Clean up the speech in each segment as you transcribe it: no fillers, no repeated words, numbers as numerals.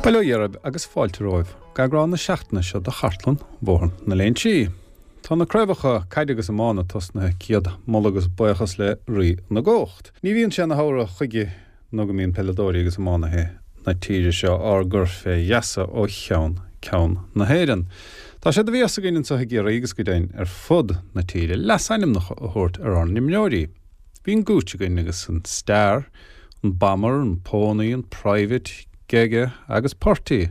Bail ó Dhia oraibh agus fáilte romhaibh go eagrán na seachtaine seo de Chartlann Bhóthar na Léinsí. Tá na craobhacha caide agus iomána tosnaithe, céad moladh agus buíochas le Rí na gCumhacht. Ní bhíonn sé ina shamhradh chuige nó go mbíonn peileadóirí agus iománaithe na tíre seo ár gcur fé gheasa ó cheann ceann na hÉireann. Tá sé de bhéas againn anseo i gCiarraí agus go deimhin ar fud na tíre leasainmneacha a thabhairt ar ár n-imreoirí. Bhí an Gooch againn agus an Star, an Bomber, an Pony, an Private, Gege agus Purty.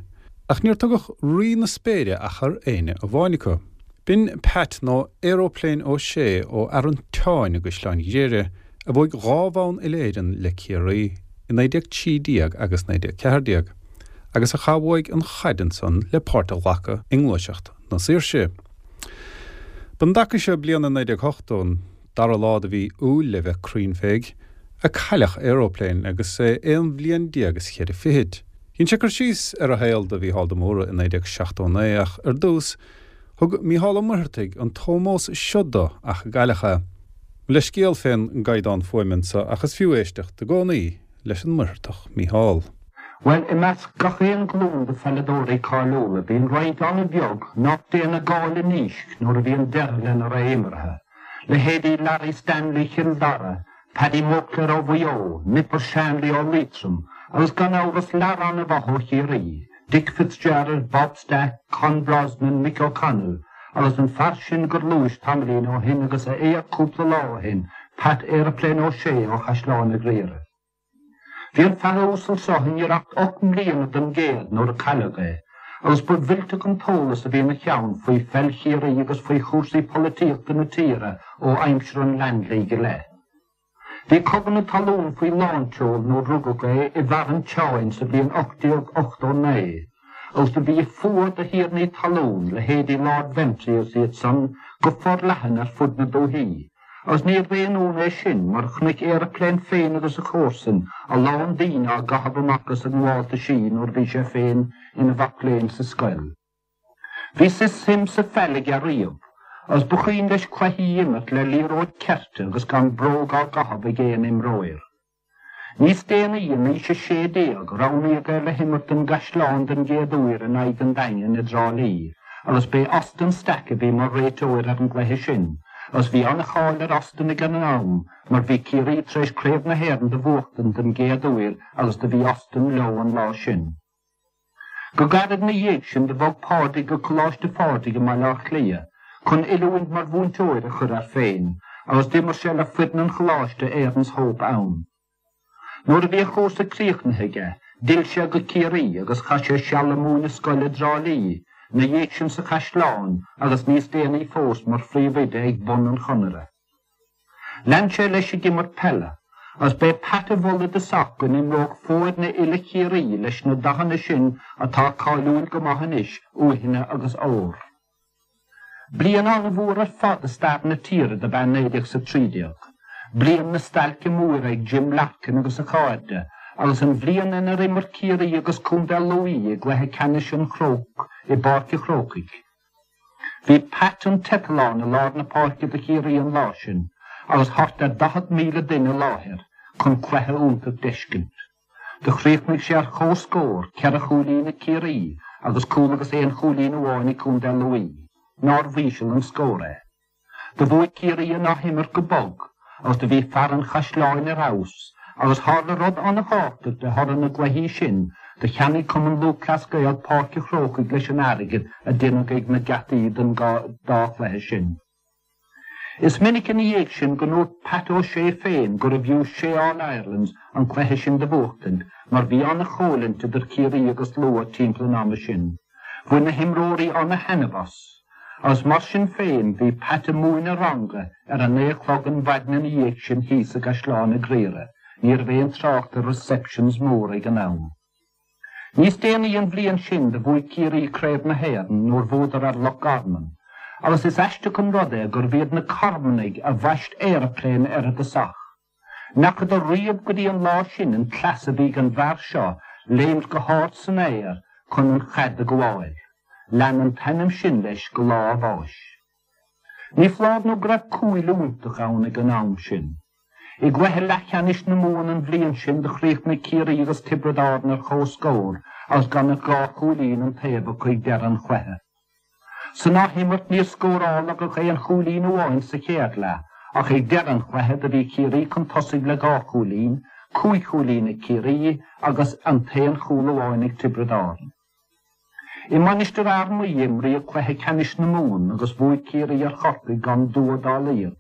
Ach níor tugadh Rí na Spéire ach ar éinne amháin acu. B'in Pat nó Aeroplane Ó Sé ó Fhearann Tseáin i gCaisleán Ghriaire a bhuaigh dhá bhonn uile-Éireann le Ciarraí i 1913 agus 1914 agus a chaith uaidh an chaid ansan le páirt a ghlacadh i ngluaiseacht na saoirse. B'an dtaca seo bliana 1980 an dara lá de mhí Iúil le bheith cruinn féig, a cailleadh Aeroplane agus é aon bhliain déag is cheithre fichid. Dhein sé cur síos ar a shaol do Mhícheál de Mórdha i 1979 ach ar dtús, thug Mícheál Ó Muircheartaigh an t-ómós seo do ach a cailleadh é. Mo leithscéal fén gcaighdeán fuaime anso ach is fiú éisteacht i gcónaí leis an Muircheartach Mícheál. Bhuel, i measc gach aon ghlúin de pheileadóirí cáiliúla, bíonn roinnt an-bheag nach dtéann i gcáil i ndísc nuair a bhíonn deireadh lena ré imeartha. Leithéidí Larry Stanley Chill Dara, Paddy Moclair ó Mhaigh Eo, Nipper Shanley ó Liatroim agus gan amhras lear an-mhaith ó Chiarraí, Dick Fitzgerald, Bob Stack, Con Brosnan, Mick O'Connell agus an fear sin gur luais tamaillín ó shin agus a éag cúpla lá ó shin, Pat Aeroplane Ó Sé ó Chaisleán a' Ghriaire. Bhí an fear uasal seo i ngiorracht 8 mbliana don gcéad nuair a cailleadh é, agus ba mhillteach an t-eolas a bhí ina cheann faoi pheil Chiarraí agus faoi chúrsaí polaitíochta na tíre ó aimsir an Land League i leith. Bhí Cogadh na Talún faoi lánseol nuair rugadh é i bhFearann tSeáin sa bhliain 1889, agus do bhí fuath do thiarnaí talún, leithéidí Lord Ventry agus iad san, go forleathan ar fud na dúthaí. Agus níorbh aon ionadh é sin, mar chonaic Aeroplane féin agus a chomharsain a lán daoine á gcaitheamh amach as a ngabháltaisí nuair a bhí sé féin ina mhac léinn sa scoil. Bhí suim sa pheil aige riamh, agus ba chuimhin leis cluichí a imirt le liathróid ceirte agus gan bróg á gcaitheamh ag aon imreoir. Níos déanaí, in aois a 16, roghnaíodh é le himirt don gCaisleán den gcéad uair in aghaidh an Daingin i dTrá Lí, agus b'é Austin Stack a bhí mar réiteoir ar an gcluiche sin, agus bhí an-cháil ar Austin ag an am mar bhí Ciarraí tar éis Craobh na hÉireann do bhuachtaint den gcéad uair agus do bhí Austin leo an lá sin. Go gairid ina dhiaidh sin do bhog Pádraig go Coláiste Phádraig i mBaile Átha Cliath chun oiliúint mar mhúinteoir a chur air féin agus d'imir sé le foireann an choláiste Erin's Hope ann. Nuair a bhí a chúrsa críochnaithe aige, d'fhill sé go Ciarraí agus chaith sé seal ag múineadh scoile i dTrá Lí, ina dhiaidh sin sa Chaisleán agus níos déanaí fós mar phríomhoide ag bun an Chonaire. Lean sé leis ag imirt peile, agus b'é Pat a mhol i dtosach go n-imreodh foirne uile Chiarraí leis na dathanna sin atá cáiliúil go maith anois, uaithne agus ór. Bliain an-mhór ar fad i stair na tíre dob ea 1913, bliain na stailce móire ag Jim Larkin agus a chairde, agus an bhliain inar imir Ciarraí agus Contae Lú i gcluiche ceannais an Chróc i bPáirc an Chrócaigh. Bhí Pat an tEiteallán i lár na páirce do Chiarraí an lá sin agus thart ar 40,000 duine i láthair chun cluiche iontach d'fheiscint. Do chríochnaigh sé ar chomhscór, ceithre chúilín ag Ciarraí agus cúl agus aon chúilín amháin ag Contae Lú. Nárbh íseal an scór é? Do bhuaigh Ciarraí an athimirt go bog agus do bhí fear an Chaisleáin ar fheabhas agus tharla rud an-thábhachtach de thoradh na gcluichí sin, do cheannaigh Cumann Lúthchleas Gael Páirc an Chrócaigh leis an airgead a deineadh ag na geataí den dá chluiche sin. Is minic ina dhiaidh sin go ndúirt Pat Ó Sé féin gurbh fhiú sé All-Irelands an cluiche sin do bhuachtaint mar bhí an-choimhlint idir Ciarraí agus Lú timpeall an ama sin. Bhain na himreoirí ana-thaitneamh as. Agus mar sin féin, bhí Pat ag múineadh ranga ar a naoi a chlog an mhaidin ina dhiaidh sin thíos i gCaisleán a' Ghriaire, ní raibh aon trácht ar receptions móra ag an am. Níos déanaí an bhliain sin do bhuaigh Ciarraí Craobh na hÉireann nuair bhuadar ar Loch Garman, agus is aisteach an rud é gurbh iad na Carmannaigh a bhaist Aeroplane air i dtosach. N'fheacadar riamh go dtí an lá sin an cleas a bhí ag an bhfear seo léimt go hard san aer chun an chaid a ghabháil. Lean an t-ainm sin leis go lá a bháis. Ní foláir nó go raibh cúil iontach ann ag an am sin. I gcluiche leathcheannais na Mumhan an bhliain sin do chríochnaigh Ciarraí agus Tiobraid Árann ar comhscór. agus gan ach 2 chúilín an taobh acu ag deireadh an chluiche. San athimirt níor scóráladh ach aon chúilín amháin sa chéad leath ach ag deireadh an chluiche do bhí Ciarraí chun tosaigh le 2 chúilín, 5 chúilín ag Ciarraí agus an t-aon chúl amháin ag Tiobraid Árann. I Mainistir Fhear Maí a imríodh cluiche ceannais na Mumhan agus bhuaigh Ciarraí ar Chorcaigh gan dua dá laghad,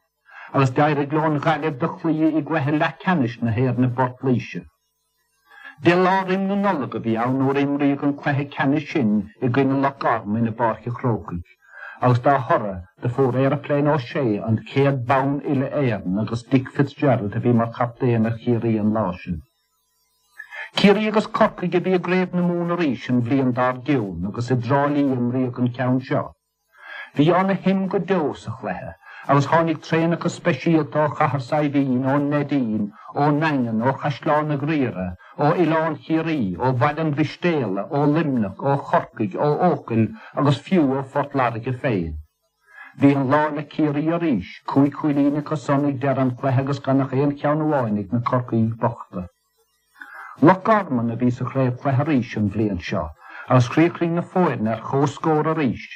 agus d'éirigh leo an Ghaillimh do chloí i gcluiche leathcheannais na hÉireann i bPort Laoise. Deich lá roim na Nollag a bhí ann nuair a imríodh an cluiche ceannais sin i gcoinne Loch Garman i bPáirc an Chrócaigh, agus dá thoradh do fuair Aeroplane Ó Sé an chéad bonn uile-Éireann agus Dick Fitzgerald a bhí mar chaptaen ar Chiarraí an lá sin. Ciarraí agus Corcaigh a bhí i gCraobh na Mumhan arís an bhliain dár gcionn agus i dTrá Lí a imríodh an ceann seo. Bhí ana shuim go deo sa chluiche agus tháinig traenacha speisialta ó Chathair Saidhbhín, ón Neidín, ón nDaingean, ó Chaisleán a' Ghriaire, ó Oileán Chiarraí, ó Bhaile an Mhistéala, ó Luimneach, ó Chorcaigh, ó Eochaill agus fiú ó Phort Láirge féin. Bhí an lá le Ciarraí arís, 5 chúilín acu san ag deireadh an chluiche agus gan ach aon cheann amháin ag na Corcaígh bochta. Loch Garman a bhí sa chraobhchluiche arís an bhliain seo agus chríochnaigh na foirne ar comhscór arís,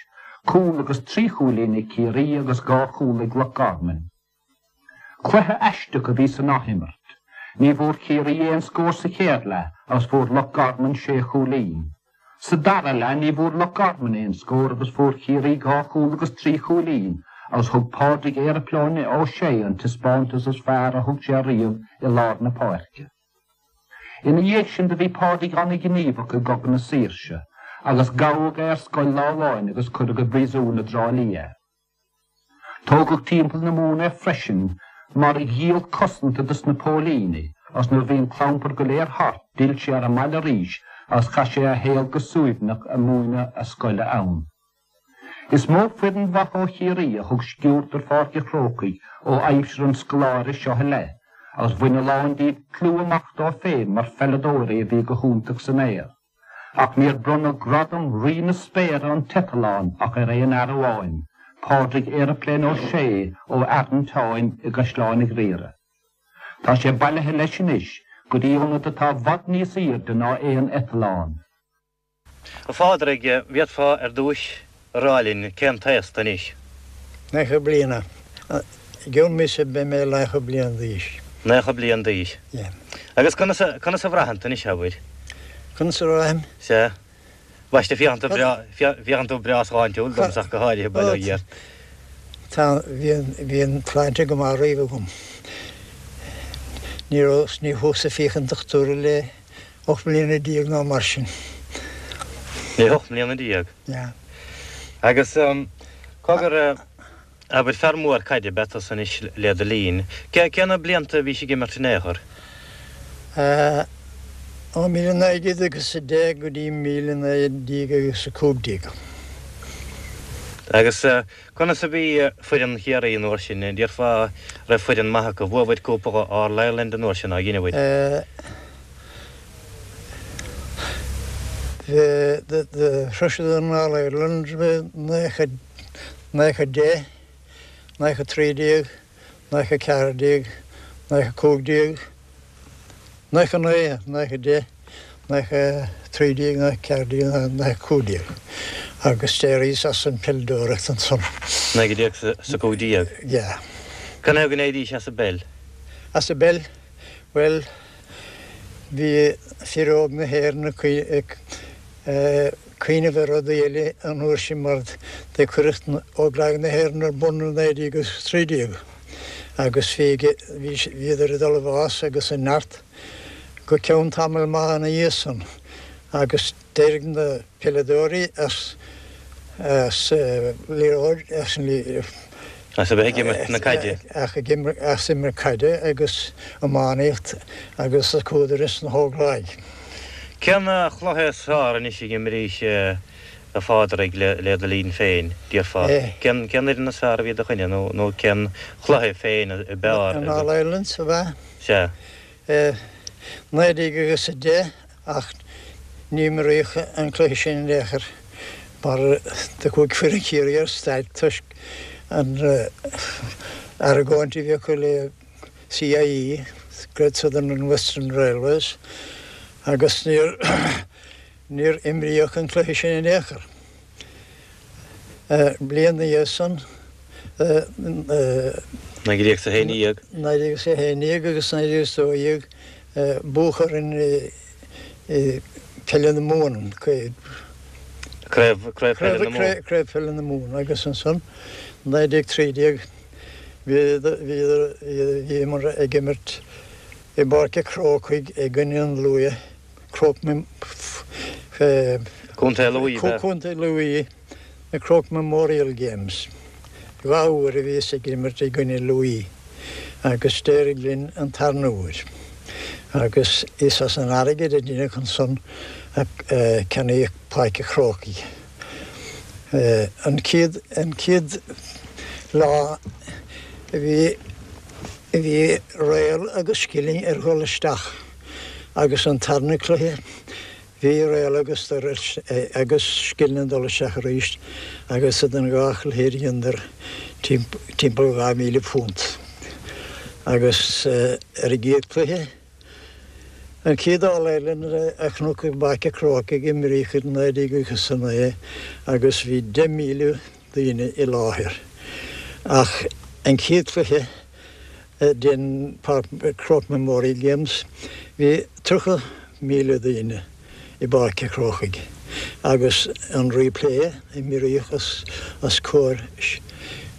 cúl agus 3 chúilín ag Ciarraí agus 2 chúl ag Loch Garman. Cluiche aisteach a bhí san athimirt. Ní bhfuair Ciarraí aon scór sa chéad leath agus fuair Loch Garman sé chúilín. Sa dara leath ní bhfuair Loch Garman aon scór agus fuair Ciarraí 2 chúl agus 3 chúilín agus thug Pádraig Aeroplane Ó Sé an taispeántas is fearr a thug sé riamh i lár na páirce. Ina dhiaidh sin do bhí Pádraig an-ghníomhach i gCogadh na Saoirse agus gabhadh é ar scoil lá amháin agus cuireadh i bpríosún i dTrá Lí é. Tógadh timpeall na Mumhan é freisin mar ghiall cosanta dos na póilíní agus nuair a bhí an clampar go léir thart d'fhill sé ar an mbaile arís agus chaith sé a shaol go suaimhneach ag múineadh a scoile ann. Is mó foireann mhaith ó Chiarraí a thug sciúirt ar Pháirc an Chrócaigh ó aimsir an scoláire seo i leith agus bhain a lán díobh clú amach dóibh féin mar pheileadóirí a bhí go hiontach san aer. Ach níor bronnadh gradam Rí na Spéire an t-eitleán ach ar aon fhear amháin, Pádraig Aeroplane Ó Sé ó Fhearann Táin i gCaisleán a' Ghriaire. Tá sé bailithe leis anois go dtí ionad atá i bhfad níos aoirde ná aon eitleán. A Phádraig, bhféadfá ar dtúis a rá linn cén t-aos tú anois? 90 bliana. I gcionn míosa beidh mé 90 bliain d'aois. 90 bliain d'aois. Yeah. Agus conas a, conas a bhraitheann tú anois, abair? Conas a bhraithim? Sea. Bhaiste, féachann tú breá, féachann tú breá sláintiúil domsa ach go háirithe, bail ó Dhia ort. Tá, bhí an, bhí an tsláinte go maith riamh agam. Ní raibh, ní chuas-sa ag féachaint dochtúra le 18 mbliana ná mar sin. Le 18 mbliana? Yeah. Agus cogar, abair, fear mór caide ab ea tusa anois le do linn. Cé na blianta a bhís ag imirt in aon chor? Ó 1910 go dtí 1915. Agus conas a bhí foireann Chiarraí an uair sin? Déarfá raibh foireann maith acu. Bhuabhair cúpla All Ireland an uair sin, ar dheineabhair? Shroiseadar an All Ireland 1910, 1913, 1914, 1915, 99, 1910, 1913, 1914, 1915 agus d'éiríos as an peileadóireacht ansan. 1915? Yeah. Canathaobh go n-éirís as an bpeil? As an bpeil? Bhuel, bhí fir óg na hÉireann ag cuimhneamh ar rudaí eile an uair sin mar do cuireadh Óglaigh na hÉireann ar bun i 1913 agus bhí bhíodar ag dul i bhfás agus i neart go ceann tamall maith ina dhiaidh san agus D'éirigh na peileadóirí as as liathróid as an As a bheith ag imirt na caide. As imirt caide agus iománaíocht agus chuadar ins na hÓglaigh. Cén chluiche is fearr anois a dh'imrís a Phádraig le do linn féin, déarfá? Cén fhoireann is fearr a bhí i do choinne nó cén chluiche féin a b'fhearr? An All Irelands, ab ea? Sea. 1910 Ach ní imríodh an cluiche sin in aon chor mar do chuaigh foireann Chiarraí ar stailc toisc an argóint a bhí acu le CIE, Great Southern and Western Railways, agus níor. Níor imríodh an cluiche sin in aon chor. Bliain ina dhiaidh san, 1911. 1911 agus 1912, buadh orainn i Peile na Mumhan, Craobh Peile na Mumhan. Craobh Peile na Mumhan agus ansan 1913 bhíomar ag imirt i bPáirc a' Chrócaigh i gcoinne an Lú, Croke Contae Lú, Contae Lú, na Croke Memorial Games. 2 uair a bhíos ag imirt i gcoinne Lú agus d'éirigh linn an tarna huair. Agus is as an airgead a deineadh ansan a ceannaíodh Páirc a' Chrócaigh. An chéad, an chéad lá a bhí, a bhí réal agus scilling ar dhul isteach agus an tarna cluiche Bhí réal agus agus scilling ag dul isteach arís agus idir an dhá chluiche dheineadar timpeall £2,000. Agus ar an gcéad chluiche, an chéad All Ireland a chonac i bPáirc a' Chrócaigh imríodh i 1909 agus bhí 10,000 daoine i láthair. Ach an chéad chluiche den Croke Memorial Games, bhí 30,000 daoine i bPáirc a' Chrócaigh agus an replay imríodh os comhair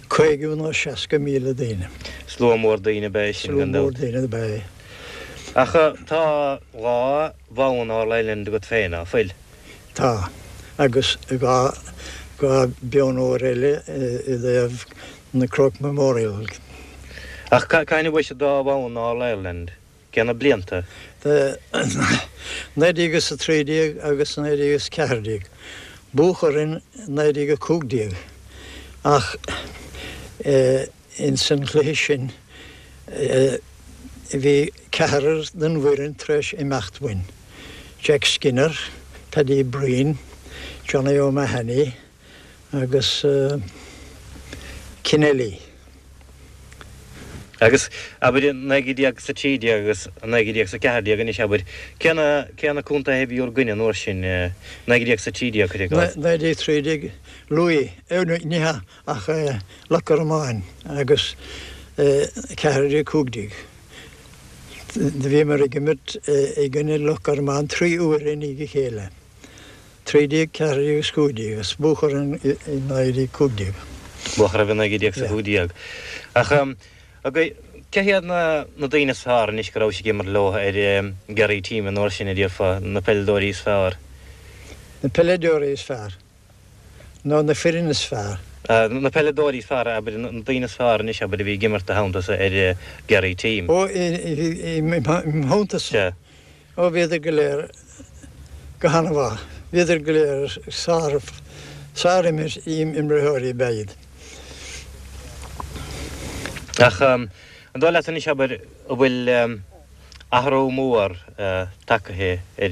50 nó 60,000 daoine. Slua mór daoine ab ea é sin, gan dabht. Slua mór daoine ab ea é. Ach tá 2 bhonn All Ireland agat féin, ná fuil? Tá. Agus 2 bonn óir eile i dtaobh na Croke Memorial. Ach cathain a bhuaigh sibh an dá bhonn All Ireland? Cé na blianta? 1913 agus 1914. Buadh orainn 1915 ach ins an chluiche sin bhí ceathrar den bhfoireann tar éis imeacht uainn, Jack Skinner, Paddy Breen, Johnny O'Mahony, agus Kennelly. Agus, abair, i 1913 agus 1914 anois, abair, cé na, cé na contaetha a bhí bhur gcoinne an uair sin, 1913, cuir i gcás? 1913, Lú, ní hea, ach Loch Garman agus 14, 15. Do bhíomar ag imirt i gcoinne Loch Garman 3 uaire i ndiaidh a chéile. 13, 14 agus 15, agus buadh orainn i 1915. Buadh oraibh i 1915. Ach cé hiad na daoine is fearr anois go rabhais ag imirt leo ar Derry team an uair sin, a déarfá, na peileadóirí is fearr? Na peileadóirí is fearr? Nó na foireann is fearr? Na peileadóirí is fearr, abair, na daoine is fearr anois, abair, a bhí ag imirt i do theannta-sa ar Derry team. Ó, i mo theannta-sa? Sea. Ó, bhíodar go léir go han-mhaith. Bhíodar go léir sár, sár-imreoirí ab ea iad. Ach an dóigh leat anois, abair, an bhfuil athrú mór tagtha ar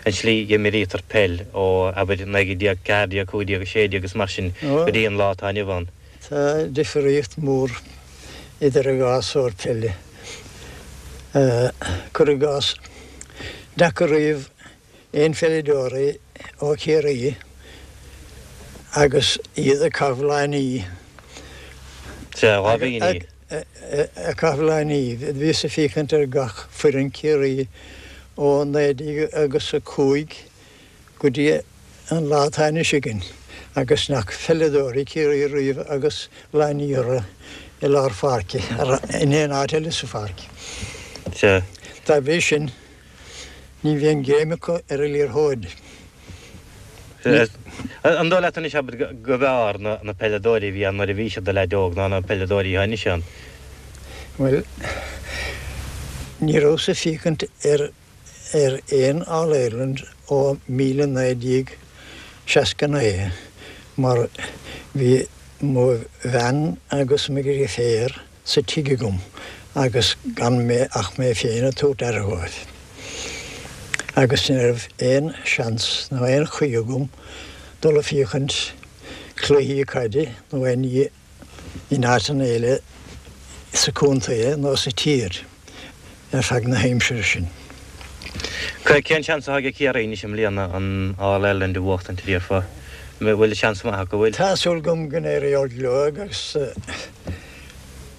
an tslí a imrítear peil ó, abair, 1914, 15, 16 agus mar sin go dtí an lá atá inniu ann? Tá difríocht mhór idir an dhá sórt peile. Cuir i gcás, n'fheaca riamh aon pheileadóirí ó Chiarraí agus iad ag caitheamh láinní. Sea, láimhíní. Ag caitheamh láinní. Bhíos ag féachaint ar gach foireann Ciarraí ó 19 agus 5 go dtí an lá atá anois againn agus n'fheaca peileadóirí Chiarraí riamh agus láinní orthu i lár pháirce, in aon áit eile sa pháirc. Sea. Dá bhrí sin, ní bhíonn greim acu ar an liathróid. Sea. An dóigh leat anois, abair, go mb'fhearr na peileadóirí a bhí ann nuair a bhís i do leaid óg ná na peileadóirí atá anois ann? Bhuel, ní rabhas ag féachaint ar ar aon All Ireland ó 1969 mar bhí mo bhean agus mo dheirféar sa tigh agam agus gan mé ach mé féin ag tabhairt aire dhóibh agus ní raibh aon seans nó aon chaoi agam dul ag féachaint cluichí caide nó aon ní in áiteanna eile sa chontae nó sa tír ar feadh na haimsire sin. Cén seans atá ag Ciarraí anois i mbliana an All Ireland a bhuachtaint, a déarfá? An bhfuil seans maith acu, bhfuil? Tá súil agam go n-éireoidh leo agus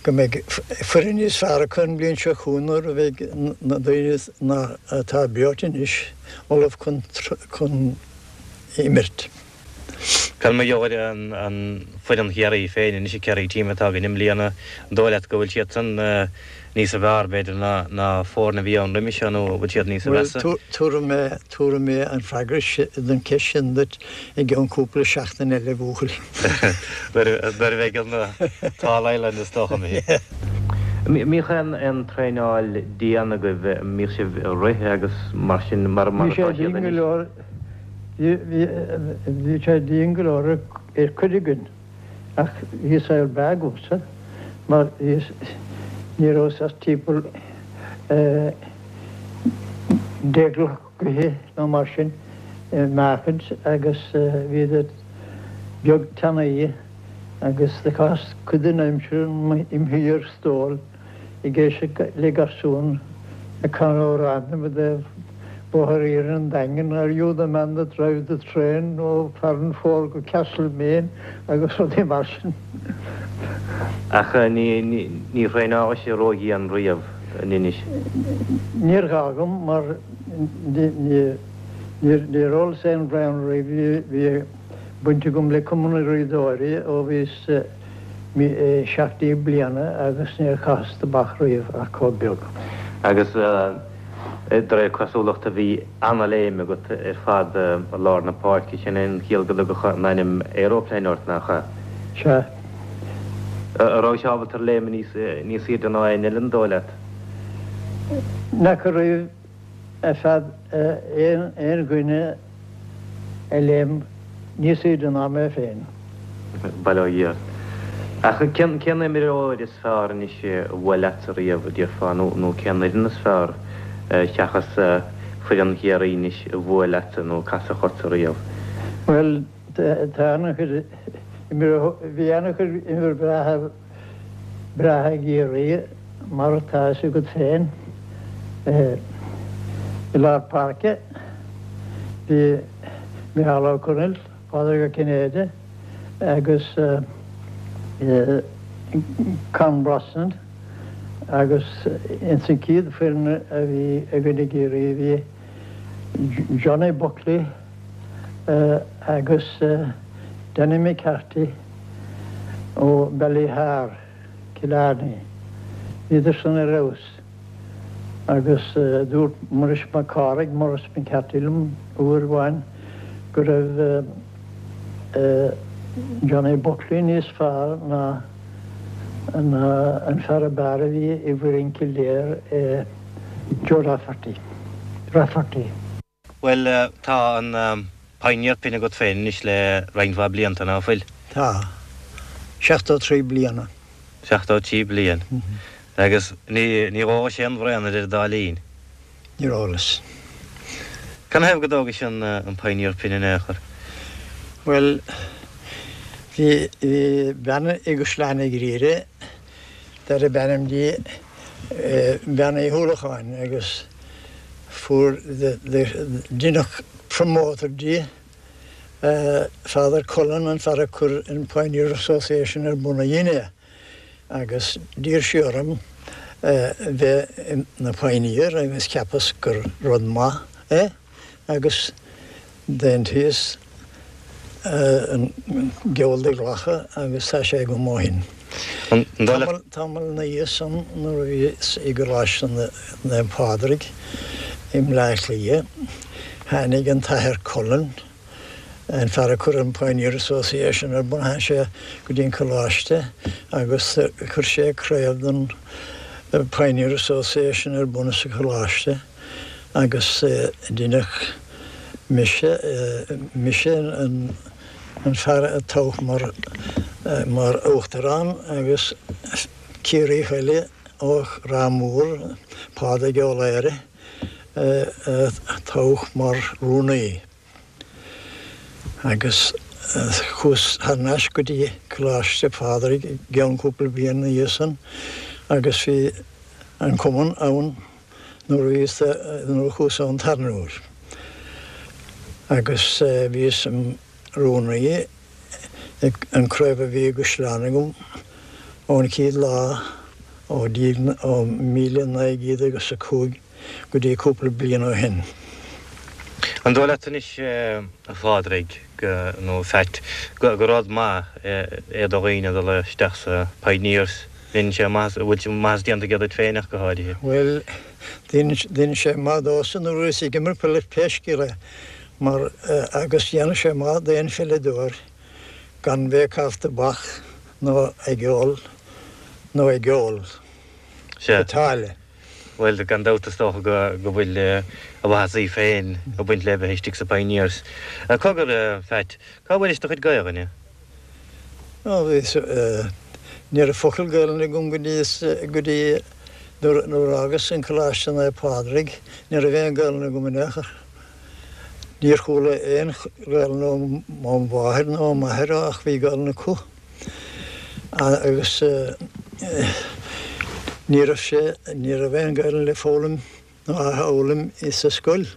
go mbeidh foireann níos fearr acu an bhliain seo chugainn nuair a bheidh na daoine atá breoite anois ullamh chun imirt. Cad mar gheall ar an foireann Chiarraí féin anois, an Kerry team atá againn i mbliana, an dóigh leat go bhfuil siadsan níos fearr, b'fhéidir, ná foirne a bhí ann roimhe seo nó an bhfuil siad níos measa? Bhuel, tabharfaidh mé, tabharfaidh mé an freagra don cheist sin duit i gceann cúpla seachtain eile, a bhuachaill. Nuair a bheidh an tAll Ireland is dócha imithe. Mbíodh aon traenáil dian agaibh, mbíodh sibh ag rith agus mar sin mar atá siad anois? Bhí sé dian go leor ar chuid againn ach bhí saol breá agamsa mar ní rabhas ach timpeall 10 gcloch go nó mar sin i meáchaint agus bhíodar beag tanaí agus do chaitheas cuid den aimsir im shuí ar stól. ag éisteacht le garsún ag canadh amhrán i dtaobh Bóthar Iarainn an Daingin, Are you the man that drives the train ó Farranfore go Castlemaine agus rudaí mar sin. Ach ní thraenálaís ródhian riamh, an Inis? Níor ghá dhom mar níor ólas aon bhraon riamh, bhí baint agam le Cumann na Draíodóirí ó bhíos 17 bliana agus níor chaitheas tobac riamh ach chomh beag. Agus de réir cosúlachta bhí ana-léim agat ar fad i lár na páirce, sin é an chiall go dtugadh an ainm Aeroplane ort, nach ea? Sea. An rabhais ábalta ar léim níos aoirde ná éinne eile, an dóigh leat? N'fheaca riamh ar feadh aon dhuine a léim níos aoirde ná mé féin. Bail ó Dhia ort. Ach cén imreoir is fearr anois a bhuail leatsa riamh, a déarfá, nó cén fhoireann is fearr, seachas foireann Chiarraí anois, a bhuail leatsa nó a casadh ortsa riamh? Bhuel, tá an-chuid imreoirí, bhí an-chuid imreoirí breátha, breátha i gCiarraí, mar atá a fhios agat féin. I lár páirce, bhí Micheál Ó Conaill, Pádraig Ó Cinnéide agus Con Brosnan agus ins an chéad foireann a bhí againn i gCiarraí bhí Johnny Buckley agus Danny McCarthy ó Ballyhar, Killarney. Bhíodar san ar fheabhas agus dúirt Muiris Mac Cárthaigh, Maurice McCarthy liom uair amháin go raibh Johnny Buckley níos fearr ná an fear ab fhearr a bhí i bhfoireann Kildare, Joe Rafferty. Rafferty. Bhuel, tá an Pioneer Pin agat féin anois le roinnt mhaith blianta, ná fuil? Tá. 73 bliana. 73 bliain. Agus ní, níor ólais aon bhraon idir an dá linn? Níor ólas. Canathaobh go dtógais an, an Pioneer Pin in aon chor? Bhuel, bhí, bhí bean i gCaisleán an Ghriaire darb ainm di Bean Uí Uallacháin agus fuair deineadh promoter di, Father Cullen, an fear a chuir an Pioneer Association ar bun a dhein é agus d'iarr sí orm bheith ina Pioneer agus cheapas gur rud maith é. Agus d'aontaíos an geall do ghlacadh agus tá sé agam ó shin. Tamall ina dhiaidh san nuair a bhíos i gColáiste Naomh Pádraig i mBleá Cliath tháinig an tAthair Cullen, an fear a chuir an Pioneer Association ar bun, tháinig sé go dtí an Coláiste agus chuir sé craobh den Pioneer Association ar bun sa Choláiste. Agus deineadh mise, mise an fear a toghadh mar, mar uachtarán agus Ciarraíoch eile ó Ráth Mór, Pádraig Ó Laoire, a toghadh mar rúnaí. Agus chuas thar n-ais go dtí Coláiste Phádraig i gceann cúpla bliain ina dhiaidh san agus bhí an cumann ann. Nuair a bhíos, nuair a chuas ann an tarna huair. Agus bhíos im rúnaí ag an craobh a bhí i gCaisleán agam ón chéad lá ó ó 1900 agus a 5 go dtí cúpla bliain ó shin. An dóigh leat anois, a Phádraig, go, nó a Pheait, go, gur rud maith é do dhaoine dul isteach sa Pioneers? Dhein sé maitheas, an bhfuil maitheas déanta aige duit féin ach go háirithe? Bhuel, dhein sé maith domhsa nuair a bhíos ag imirt peile pé scéal é, mar, agus dhéanadh sé maith d'aon pheileadóir gan bheith ag caitheamh tobac nó ag ól, nó ag ól Sea. go táille. Bhuel, gan dabht is dócha go, go bhfuil a mhaitheasaí féin ag baint le bheith istigh sa Pioneers. Cogar, a Pheait, cá bhfuairis do chuid Gaelainne? Ó, bhí, ní raibh focal Gaelainne agam go dtí, go dtí nuair, nuair a fhágas an Coláiste Naomh Pádraig, ní raibh aon Ghaelainn agam in aon chor. Níor chuala aon Ghaelainn ó mo mháthair nó ó m'athair ach bhí Gaelainn acu. Agus ní raibh sé, ní raibh aon Ghaelainn le foghlaim nó a fhoghlaim sa scoil.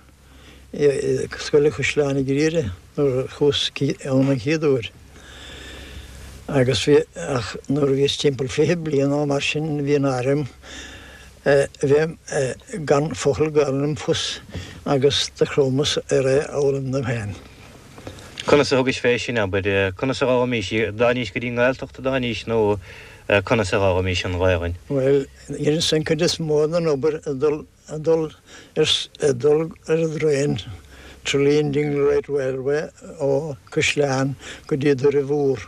i Scoil an Chaisleáin i gCriara nuair a chuas ann an chéad uair. Agus bhí, ach nuair a bhíos timpeall 20 bliain nó mar sin bhí an airm bheith gan focal Gaelainne agam fós agus do chromas ar é a fhoghlaim dom féin. Conas a thugais fé sin, abair? Conas a d'fhoghlaimís í? D'fhanaís go dtí an nGaeltacht a d'fhanaís nó conas a d'fhoghlaimís an Ghaelainn? Bhuel, dheineas an chuid is mó den obair ag dul ag dul ar ag dul ar an dtraein Tralee and Dingle Light Railway ó Caisleán go dtí Doire Mhór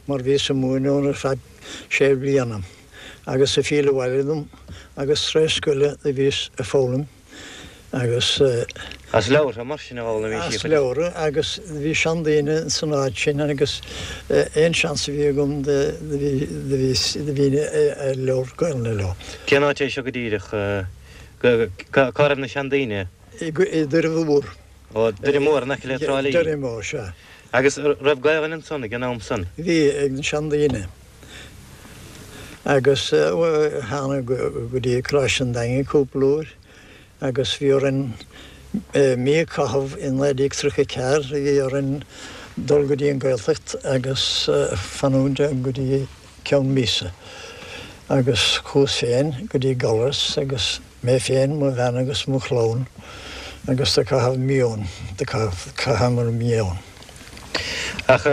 mar bhíos ag múineadh ann ar feadh sé bliana agus ag filleadh abhaile dom agus tar éis scoile do bhíos ag foghlaim agus As leabhartha mar sin a d'fhoghlaimís í? As leabhartha agus bhí seandaoine san áit sin agus aon seans a bhí agam do bhí do bhí do bhínn ag labhairt Gaelainne leo. Cén áit é seo go díreach? Cá raibh na seandaoine? I Doire Mhór. Ó, Doire Mór, in aice le Trá Lí. Doire Mór, sea. Agus raibh Gaelainn ansan ag an am san? Bhí, ag na seandaoine. Agus thána go dtí Coláiste an Daingin cúpla uair. Agus bhí orainn mí a caitheamh i 1934, bhí orainn dul go dtí an Gaeltacht agus fanúint ann go dtí ceann míosa. Agus chuas féin go dtí Gallarus agus mé féin, mo bhean agus mo chlann agus do caitheamh mí ann, do chaitheamar mí ann. Ach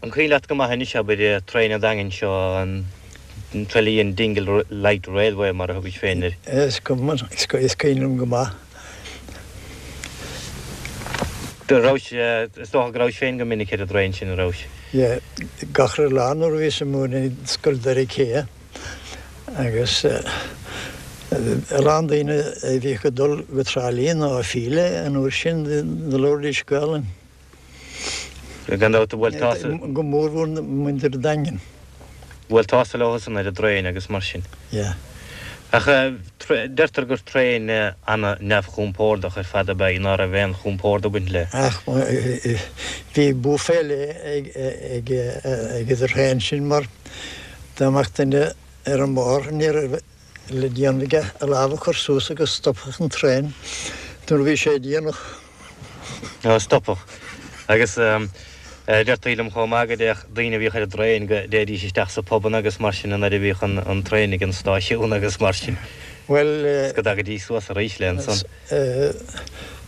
An cuimhin leat go maith anois, abair, traein an Daingin seo, an Tralee and Dingle Light Railway mar a thugais féin air? Is cuimhin liom go maith. Do rabhais, is dócha go rabhais féin go minic ar an dtraein sin, an rabhais? Yeah, gach re lá nuair a bhíos ag múineadh i Scoil Doire Cé agus a lán daoine a bhíodh ag dul go Trá Lí nó ag filleadh an uair sin do labhraídís Gaelainn. Gan dabht, bhuail tusa. Go mórmhór muintir an Daingin. Bhuail tusa leo san ar an dtraein agus mar sin. Yeah. Ach deirtear gur traein ana-neamhchompordach ar fad ab ea í, ná raibh aon chompord ag baint léi. Ach bhí bua fé leith ag an dtraein sin mar dá mbeadh duine ar an mbóthar ní raibh le déanamh aige a lámh a chur suas agus stopfadh an traein nuair a bhí sé déanach. Ó, stopfadh. Agus deirtí liom chomh maith go dtéadh daoine a bhíodh ar an dtraein, go dtéidís isteach sa phubanna agus mar sin nuair a bhíodh an traein ag an stáisiún agus mar sin. Bhuel. Is go dtagaidís suas arís léi ansan.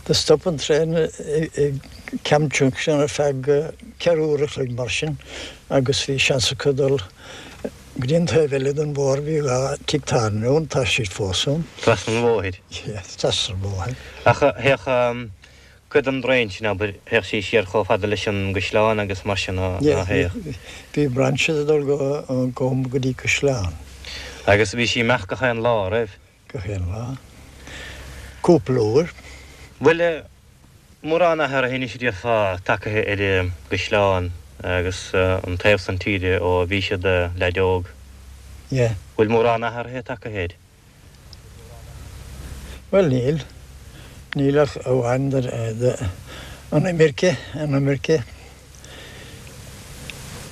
Do stop an traein ag Ceann Junction ar feadh ceathrú uair a chloig mar sin agus bhí seans acu dul Go dtí an taobh eile den bhóthar bhí dha tigh tábhairne ann, tá siad fós ann. Trasna an bhóthair. Yeah, trasna an bhóthair. Ach théadh cuid den dtraein sin, abair, théadh sí siar chomh fada leis an gCaisleán agus mar sin, ná théadh? Bhí brainse ag dul go go dtí Caisleán. Agus bhí sí ag imeacht gach aon lá, raibh? Gach aon lá. Cúpla uair. Bhfuil mórán athraithe anois a déarfá tagaithe ar an gCaisleán agus an taobh san tíre ó bhís i do leaid óg? Yeah. Bhfuil mórán athraithe tagaithe air? Bhuel níl. Níl ach amháin an imirce, an imirce.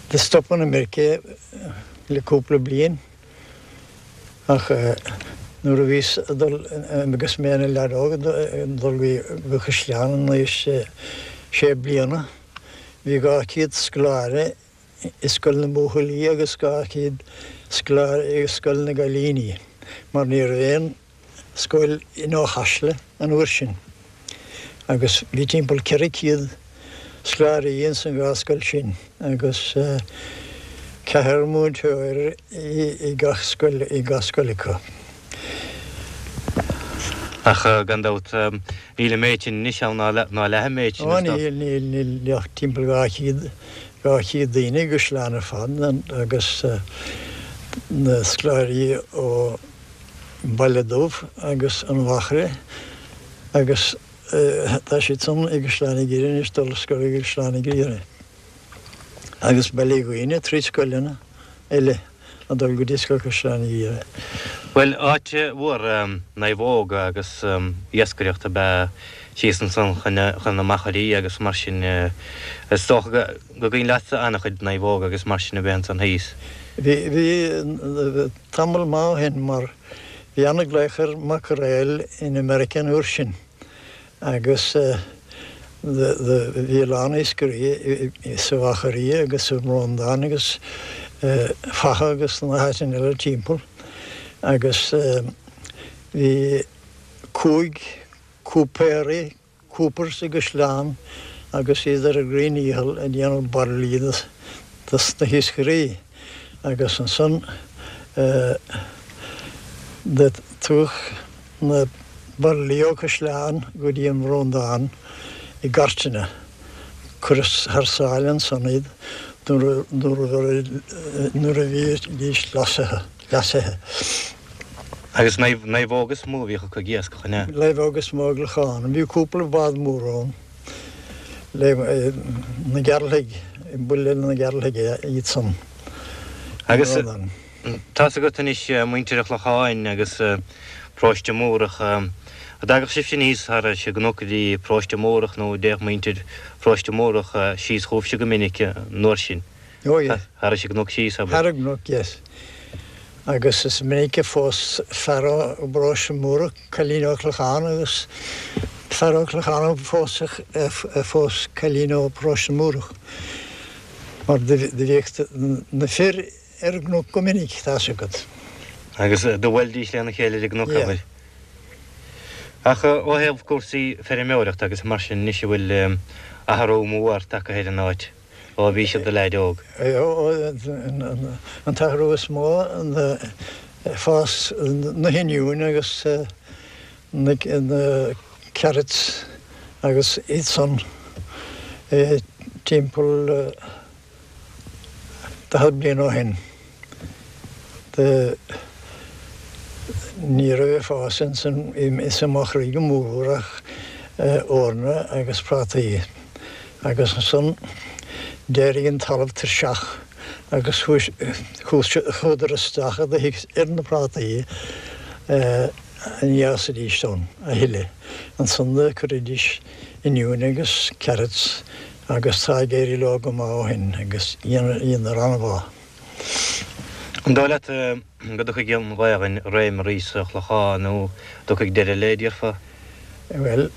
Do stop an imirce le cúpla bliain. Ach. Nuair a bhíos ag dul agus mé ina leaid óg ag dul go Caisleán in aois sé bliana, bhí 200 scoláire i scoil na mbuachaillí agus 200 scoláire i scoil na gcailíní mar ní raibh aon scoil in Eochaisle an uair sin agus bhí timpeall 400 scoláirí ins an dhá scoil sin agus ceathrar múinteoir i gach scoil i gach scoil acu. Ach gan dabht níl an méid sin anois ann ná leath an méid sin is dócha. Ó níl, níl, níl ach timpeall 200, 200 daoine i gCaisleán ar fad agus na scoláirí ó Baile Dubh agus an Mhachaire agus tá siad san i gCaisleán an Ghiorria anois, dul ar scoil i gCaisleán an Ghiorria agus Baile Dhuibhne trí scoileanna eile ag dul go dtí scoil Chaisleán an Ghiorria. Bhuel, áit mhór naomhóg agus iascaireacht ab ea síos ansan chun na machairí agus mar sin. Is dócha go gcuimhin leatsa an-chuid naomhóg agus mar sin a bheith ansan thíos. Bhí, bhí. Tamall maith ó shin mar bhí ana-ghlaoch ar mackerel in America an uair sin agus bhí a lán iascairí sa Mhachairí agus sa mBrondán agus Fatha agus na háiteanna eile timpeall agus bhí cúig cúipéirí Coopers i gCaisleán agus iad ar a gcroíndícheall ag déanamh bairillí dos na hiascairí agus ansan do tugadh na bairillí ó Chaisleán go dtí an Bhrondán i gcairteanna. Cuireadh thar sáile ansan iad nuair a bhídís leasaithe. Agus naomhóga is mó a bhíodh acu ag iascach, an ea? Naomhóga is mó i gClochán. Bhí cúpla bád mór ann. Na Gearaltaigh, buille na Gearaltaigh iad san. Agus tá's agat anois muintir an Chlocháin agus Paróiste Múrach, an dtagadh sibhse aníos thar an gcnoc go dtí Paróiste Múrach nó an dtéadh muintir Pharóiste Múrach síos chugaibhse go minic an uair sin? Oh yeah. Thar an gcnoc síos, abair. Thar an gcnoc, yes. Agus is minic a phós fear ó bParóiste Múrach cailín ó Chlochán agus fear ó Chlochán a phós a phós cailín ó Paróiste Múrach. Mar do bhíodh na fir ar an gcnoc go minic, tá's agat. Agus do bhuailidís lena chéile ar an gcnoc, abair. Yeah. Ach ó thaobh cúrsaí feirmeoireachta agus mar sin anois an bhfuil athrú mór tagtha ar an áit? Ó bhís i do leaid óg. An t-athrú is mó ná fás na hoinniúin agus na carrots agus iad san timpeall 40 bliain ó shin. Ní raibh ag fás ins an Machairí go mór ach eorna agus prátaí. Agus ansan d'éirigh an talamh tuirseach agus chuadar isteach i dtoithigh ar na prátaí ní fhásaidís ann a thuilleadh. Ansan do cuiridís oinniúin agus carrots agus tá ag éirí leo go maith ó shin agus dheineadar an-mhaith. An dóigh leat go dtiocfaidh an Ghaelainn i réim arís sa Chlochán nó an dtiocfaidh deireadh léi, déarfá? Bhuel,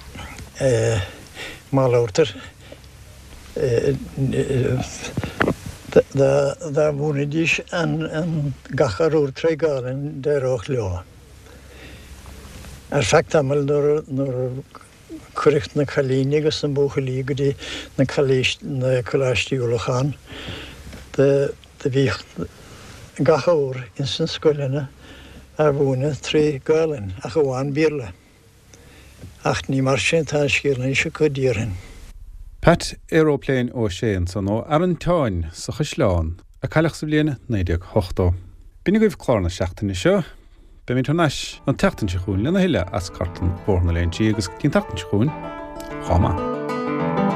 má labhartar, dá mhúinfidís an gach arbhar tré Ghaelainn d'éireodh leo. Ar feadh tamaill nuair a Cuireadh na cailíní agus na buachaillí go dtí na coláistí ullmhúcháin. Do bhíodh gach ábhar ins na scoileanna á mhúineadh trí Ghaelainn, ach amháin Béarla. Ach ní mar sin atá an scéal anois acu, déarfainn. Pat Aeroplane Ó Sé ansan ó Arantáin sa Chaisleán, a cailleadh sa bhliain 1980. B'in agaibh clár na seachtaine seo. Beimid thar n-ais an tseachtain seo chugainn lena thuilleadh as cartlann Bhóthar na Léinsí agus go dtí an tseachtain seo chugainn, chomh maith.